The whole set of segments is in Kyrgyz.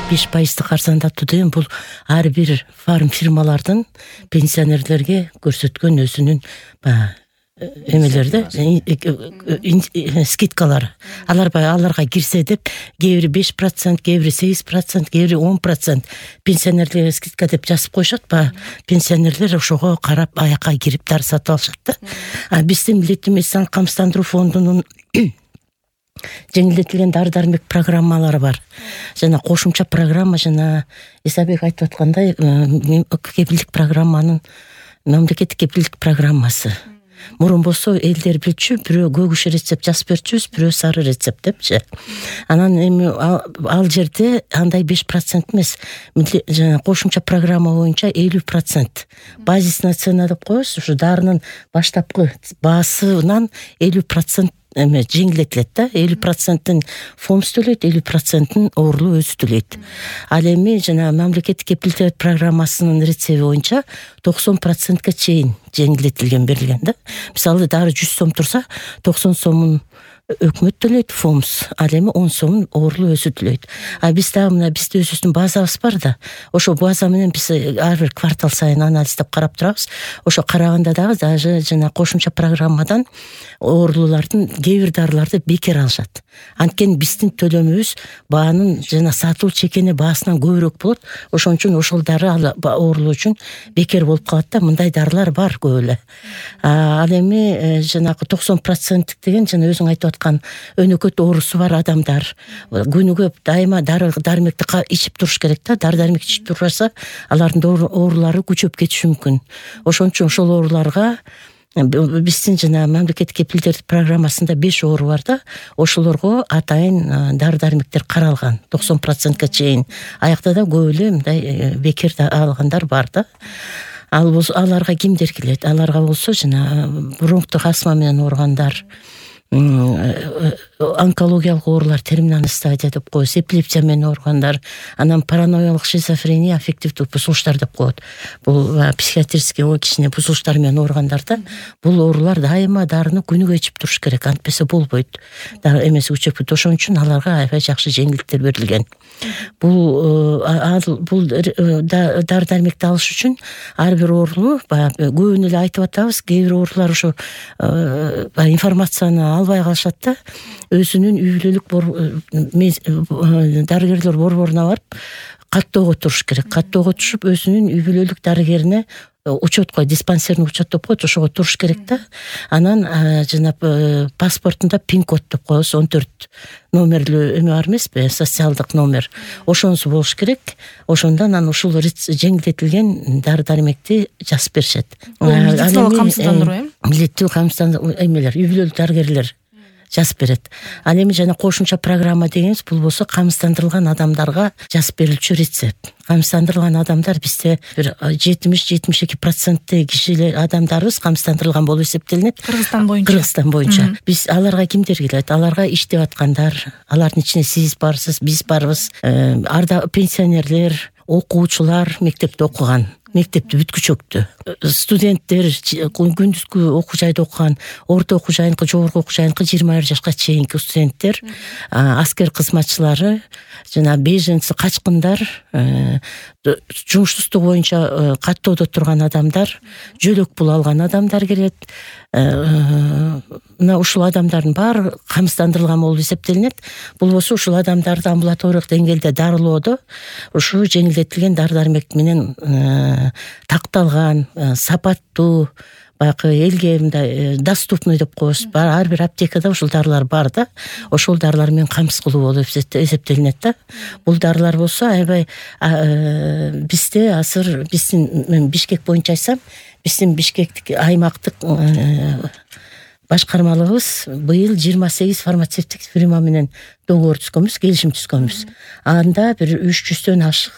5% арзандатуу деген бул ар бир фарм фирмалардын пенсионерлерге көрсөткөн өзүнүн эмелерде скидкалары. Аларга кирсе деп кээ бири 5%, кээ бири 8%, кээ бири 10% пенсионерлерге скидка деп жазып коюшат. Пенсионерлер ошого карап аякка кирип дары сатып алышат да. Биздин Милдеттүү медициналык камсыздандыруу фондунун жеңилдетилген дары-дармек программалары бар. Жана кошумча программа, жана Исабек айтып аткандай кепилдик программанын мамлекеттик кепилдик программасы. Мурун болсо элдер билчү, бирөө көгүш рецепт жазып берчүбүз, бирөө сары рецепт депчи. Анан эми ал жерде андай 5% эмес, жана кошумча программа боюнча 50%. Базисная цена деп коебуз, ушу дарынын баштапкы баасынан 50% жеңилдетилет да. 50%-ын фонд төлөйт, 50%-ын оорулуу өзү төлөйт. Ал эми жана мамлекеттик кепилдик программасынын рецепти боюнча 90%-ка чейин жеңилдетилген берилген да. Мисалы дары 100 сом турса, 90 сомун өкмөт төлөйт, фонд, ал эми 10 сомун оорулуу өзү төлөйт. Биз дагы мына бизде өзүбүздүн базабыз бар да. Ошо база менен биз ар бир квартал сайын анализдеп карап турабыз. Ошо караганда дагы даже жана кошумча программадан оорулуулардын кээ бир дарыларды бекер алышат. Анткени биздин төлөмүбүз баанын жана сатуу чекене баасынан көбүрөөк болот. Ошон үчүн ошол дары оорулуу үчүн бекер болуп калат да. Мындай дарылар бар көп эле. Ал эми жанагы 90% деген жана өзүң айтып аткан өнөкөт оорусу бар адамдар күнүгө дайыма дары-дармекти ичип туруш керек да. Дары-дармек ичип турбаса, алардын оорулары күчөп кетиши мүмкүн. Ошон үчүн ошол ооруларга биздин жана мамлекеттик кепилдик программасында 5 оору бар да. Ошолорго атайын дары-дармектер каралган 90%-ка чейин. Аякта да көп эле мындай бекер алгандар бар да. Аларга кимдер келет? Аларга болсо жана бронхтук астма менен ооругандар, онкологиялык оорулар, терминалдык стадия деп коебуз, эпилепсия менен ооругандар, анан параноялык шизофрения, аффективдүү бузулуштар деп коет. Бул психиатрический кичине бузулуштар менен ооругандарда бул оорулар дайыма дарыны күнүгө ичип туруш керек, антпесе болбойт. Дары эмеси күчөп кетет. Ошон үчүн аларга аябай жакшы жеңилдиктер берилген. Бул дары-дармекти алыш үчүн ар бир оорулуу көбүнө эле айтып атабыз, кээ бир оорулар ошо информацияны албай калышат да. Өзүнүн үй бүлөлүк дарыгерлер борборуна барып каттоого туруш керек. Каттоого түшүп өзүнүн үй бүлөлүк дарыгерине учетко, диспансерный учет деп коет, ошого туруш керек да. Анан жана паспортунда пин-код деп коебуз, 14 номерлүү эме бар эмеспи, социалдык номер. Ошонусу болуш керек. Ошондон анан ушул жеңилдетилген дары-дармекти жазып беришет. Медициналык камсыздандыруу, Милдеттүү камсыздандыруу эмелер, үй бүлөлүк дарыгерлер жазып берет. Ал эми жана кошумча программа дегенибиз бул болсо камсыздандырылган адамдарга жазып берилчү рецепт. Камсыздандырылган адамдар бизде бир 70-72% кишилер адамдарыбыз камсыздандырылган болуп эсептелинет. Кыргызстан боюнча. Биз аларга кимдер келет? Аларга иштеп аткандар, алардын ичинде сиз барсыз, биз барбыз. Пенсионерлер, окуучулар, мектепте окуган, мектепти бүткүчөктү, студенттер, күндүзгү окуу жайда окуган, орто окуу жайынкы, жогорку окуу жайынкы 21 жашка чейинки студенттер, аскер кызматчылары, жана беженцы, качкындар, жумуштуздугу боюнча каттоодо турган адамдар, жөлөк пул алган адамдар келет. Мына ушул адамдардын баары камсыздандырылган болуп эсептелинет. Бул болсо ушул адамдарды амбулаториялык деңгээлде дарылоодо ушу жеңилдетилген дары-дармек менен такталган, сапаттуу, баягы элге мындай доступный деп коебуз. Ар бир аптекада ушул дарылар бар да. Ошол дарылар менен камсыз кылуу болуп эсептелинет да. Бул дарылар болсо аябай бизде азыр биздин Бишкек боюнча айтсам, биздин Бишкектик аймактык башкармалыгыбыз быйыл 28 фармацевтик фирма менен договор түзгөнбүз, келишим түзгөнбүз. Анда бир 300дөн ашык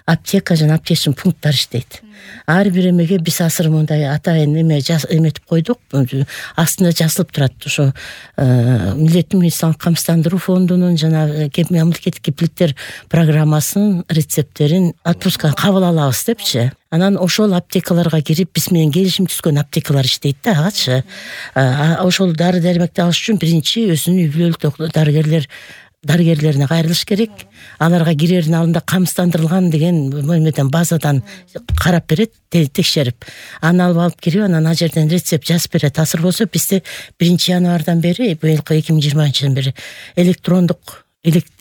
аптека жана аптечный пункттар иштейт. Ар бир эмеге биз азыр мындай атайын эметип койдук. Астында жазылып турат. Ошо Милдеттүү медициналык камсыздандыруу фондунун жана мамлекеттик кепилдиктер программасынын рецепттерин отпуска кабыл алабыз депчи. Анан ошол аптекаларга кирип биз менен келишим түзгөн аптекалар иштейт да, агачы. Ошол дары-дармекти алыш үчүн биринчи өзүнүн үй бүлөлүк дарыгерлер дарыгерлерине кайрылыш керек. Аларга кирердин алдында камсыздандырылган деген эмеден базадан карап берет, текшерип, аны алып кирип, анан ал жерден рецепт жазып берет. Азыр болсо бизде 1-январдан бери, быйылкы 2020-жылдан бери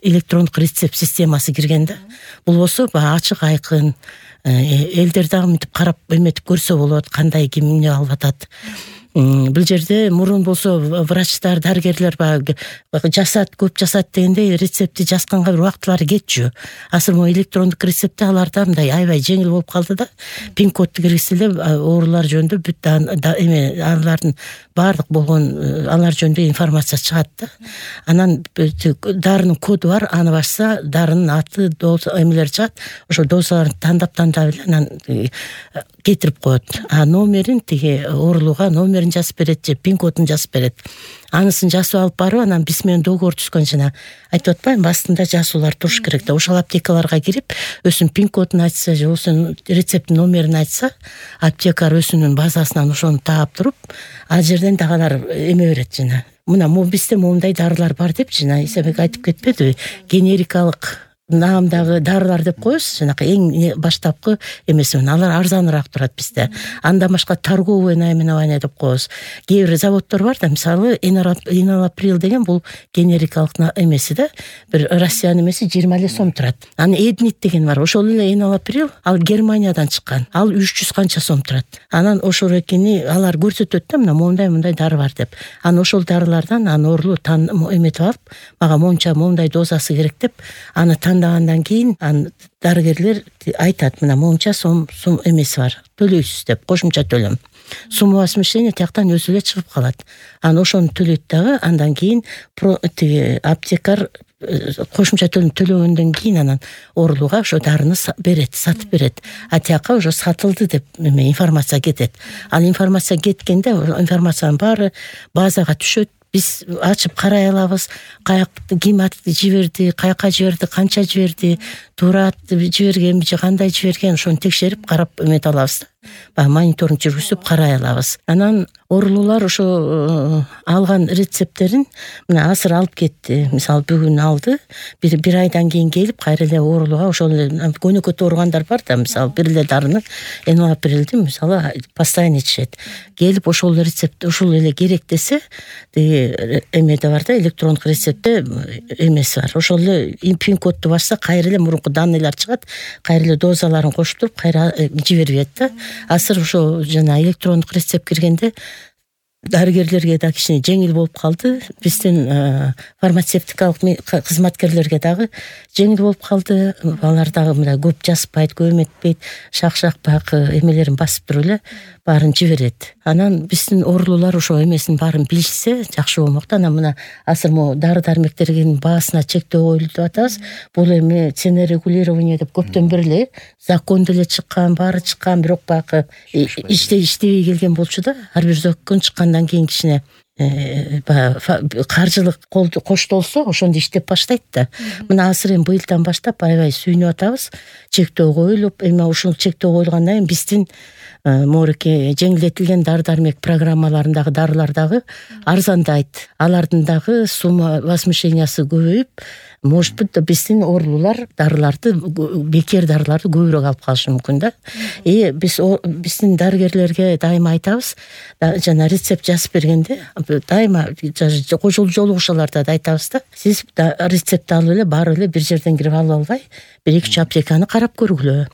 электрондук рецепт системасы кирген да. Бул болсо ачык айкын, элдер дагы мынтип карап эметип көрсө болот, кандай ким эмне алып атат. Бул жерде мурун болсо врачтар, дарыгерлер жасат, көп жасат дегенде рецептти жазганга бир убактылары кетчү. Азыр могу электрондук рецептте аларда мындай аябай жеңил болуп калды да. Пин-кодду киргизсе эле оорулар жөнүндө бүт алардын баардык болгон алар жөнүндө информация чыгат да. Анан дарынын коду бар, аны басса дарынын аты, доза эмелери чыгат. Ошо дозаларын тандап эле анан кетирип коет. Номерин тиги оорулууга номерин жазып берет же пин-кодун жазып берет. Анысын жазып алып барып, анан биз менен договор түзгөн жана айтып атпаймынбы, астында жазуулар туруш керек да. Ошол аптекаларга кирип, өзүнүн пин-кодун айтса же өзүнүн рецепт номерин айтса, аптекар өзүнүн базасынан ошону таап туруп, ал жерден дагы алар эме берет жана. Мына бизде моундай дарылар бар деп жана Исабек айтып кетпедиби? Генерикалык наамдагы дарылар деп коебуз, жанакы эң баштапкы эмеси менен алар арзаныраак турат бизде. Андан башка торговое наименование деп коебуз. Кээ бир заводдор бар да, мисалы Инолаприл деген бул генерикалык эмеси да, бир Россиянын эмеси 20 сом турат. Анан Эднит деген бар, ошол эле Инолаприл, ал Германиядан чыккан, ал 300 канча сом турат. Анан ошол экени алар көрсөтөт да, мына моундай дары бар деп. Анан ошол дарылардан оорулуу эметип алып, мага моундай дозасы керек деп, аны андан кийин дарыгерлер айтат, мына монча сом эмеси бар, төлөйсүз деп, кошумча төлөм. Суммовозмещение тияктан өзү эле чыгып калат. Анан ошону төлөйт дагы, андан кийин аптекар кошумча төлөм төлөгөндөн кийин анан оорулууга ошо дарыны берет, сатып берет. Тияка уже сатылды деп информация кетет. Ал информация кеткенде информациянын баары базага түшөт. Биз ачып карай алабыз, ким жиберди, каяка жиберди, канча жиберди, туура жибергенби же кандай жиберген, ошону текшерип карап эмете алабыз. Мониторинг жүргүзүп карай алабыз. Анан оорулуулар ошо алган рецепттерин мына азыр алып кетти. Мисалы бүгүн алды, бир айдан кийин келип кайра эле оорулууга ошол эле көнөкөт ооругандар бар да, мисалы бир эле дарыны Энолаприлди мисалы постоянно ичишет. Келип ошол рецепт ошол эле керек десе, эмеде бар да, электрондук рецептте эмеси бар. Ошол эле пин-кодду басса кайра эле мурунку данныйлар чыгат, кайра эле дозаларын кошуп туруп кайра жиберет да. Азыр ошо жана электрондук рецепт киргенде дарыгерлерге да кичине жеңил болуп калды. Биздин фармацевтикалык кызматкерлерге дагы жеңил болуп калды. Алар дагы мындай көп жазбайт, көп эметпейт, шак баягы эмелерин басып туруп эле баарын жиберет. Анан биздин оорулуулар ошо эмесин баарын билишсе жакшы болмок да. Анан мына азыр могу дары-дармектердин баасына чектөө коюлду деп атабыз. Бул эми цена регулирование деп көптөн бери эле закон деле чыккан, баары чыккан, бирок баягы иштебей келген болчу да. Ар бир закон чыккандан кийин кичине каржылык коштолсо ошондо иштеп баштайт да. Мына азыр эми быйылдан баштап аябай сүйүнүп атабыз. Чектөө коюлуп, эми ушул чектөө коюлгандан кийин биздин морке жеңилдетилген дары-дармек программаларындагы дарылар дагы арзандайт. Алардын дагы сумма возмещениясы көбөйүп, может быть биздин оорулуулар дарыларды, бекер дарыларды көбүрөөк алып калышы мүмкүн да. Биздин дарыгерлерге дайыма айтабыз, жана рецепт жазып бергенде дайыма жолугушууларда да айтабыз да, сиз рецепт алып эле барып эле бир жерден кирип алып албай, 1-2 аптеканы карап көргүлө.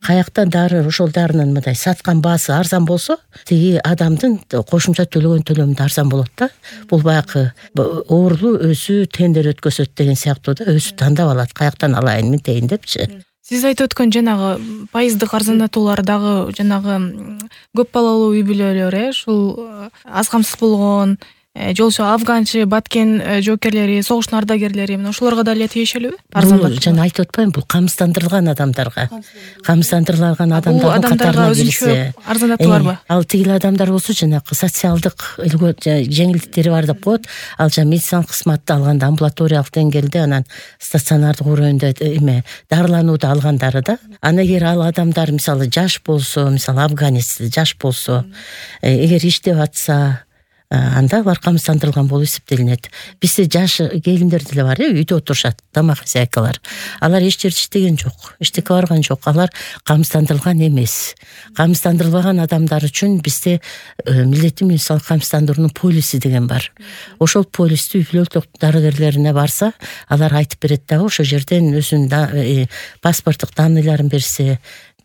Каякта дары, ошол дарынын мындай саткан баасы арзан болсо, тиги адамдын кошумча төлөгөн төлөмү да арзан болот да. Бул баягы оорулуу өзү тендер өткөзөт деген сыяктуу да, өзү тандап алат, каяктан алайын мынтейин депчи. Сиз айтып өткөн жанагы пайыздык арзандатуулар дагы жанагы көп балалуу үй бүлөлөр, ушул аз камсыз болгон же болбосо афганчы, баткен жоокерлери, согуштун ардагерлери мына ошолорго да эле тиешелүүбү? Арзандатуу жана айтып атпаймынбы, бул камсыздандырылган адамдарга. Камсыздандырылган адамдардын катарына кирсе, арзандатуу барбы? Ал тигил адамдар болсо жанагы социалдык жеңилдиктери бар деп коет. Ал жана медициналык кызматты алганда, амбулаториялык деңгээлде, анан стационардык уровеньде дарыланууду алгандары да. Анан эгер ал адамдар мисалы жаш болсо, мисалы афганец жаш болсо, эгер иштеп атса, анда алар камсыздандырылган болуп эсептелинет. Бизде жаш келиндер деле бар, үйдө отурушат, тамак хозяйкалар. Алар эч жерде иштеген жок, эчтеке барган жок. Алар камсыздандырылган эмес. Камсыздандырылбаган адамдар үчүн бизде милдеттүү медициналык камсыздандыруунун полиси деген бар. Ошол полисти үй-бүлөлүк дарыгерлерине барса, алар айтып берет дагы, ошол жерден өзүнүн паспорттук данныйларын берсе,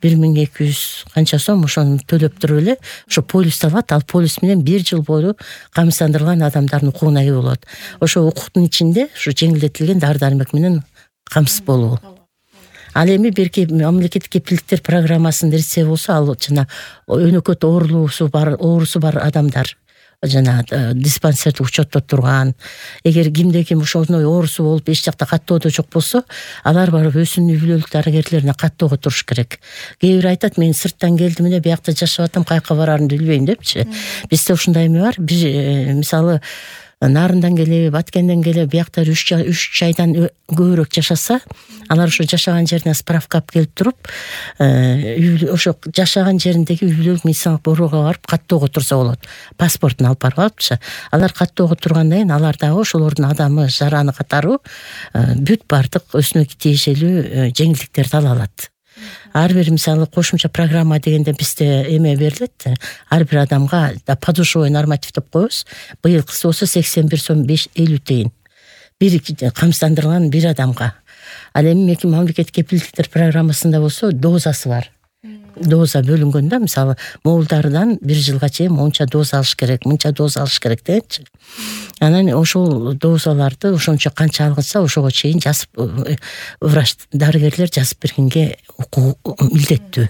1200 канча сом ошону төлөп туруп эле ошо полисти алат. Ал полис менен 1 жыл бою камсыздандырылган адамдардын укугуна ээ болот. Ошо укуктун ичинде ушу жеңилдетилген дары-дармек менен камсыз болуу. Ал эми берки мамлекеттик кепилдиктер программасынын нерсе болсо, ал жана өнөкөт оорусу бар адамдар жана диспансердик учетто турган, эгер кимде ким ошондой оорусу болуп эч жакта каттоодо жок болсо, алар барып өзүнүн үй-бүлөлүк дарыгерлерине каттоого туруш керек. Кээ бир айтат, мен сырттан келдим эле, биякта жашап атам, каяка барарымды билбейм депчи. Бизде ушундай эме бар. Бир мисалы Нарындан келе, Баткенден келе биякта 3 айдан көбүрөөк жашаса, алар ошо жашаган жерине справка алып келип туруп, ошо жашаган жериндеги үй-бүлөлүк медициналык борборго барып каттоого турса болот. Паспортун алып барып алыпчы. Алар каттоого тургандан кийин алар дагы ошолордун адамы, жараны катары бүт бардык өзүнө тиешелүү жеңилдиктерди ала алат. Ар бир мисалы кошумча программа дегенде бизде эме берилет. Ар бир адамга подушевой норматив деп коебуз. Быйылкысы болсо 81 сом 50 тыйын. Бир камсыздандырылган бир адамга. Ал эми мамлекеттик кепилдиктер программасында болсо дозасы бар. Доза бөлүнгөн да, мисалы моолдардан 1 жылга чейин монча доза алыш керек, мынча доза алыш керек дечи. Анан ошол дозаларды ошончо канча алгызса, ошого чейин жазып врач дарыгерлер жазып бергенге милдеттүү.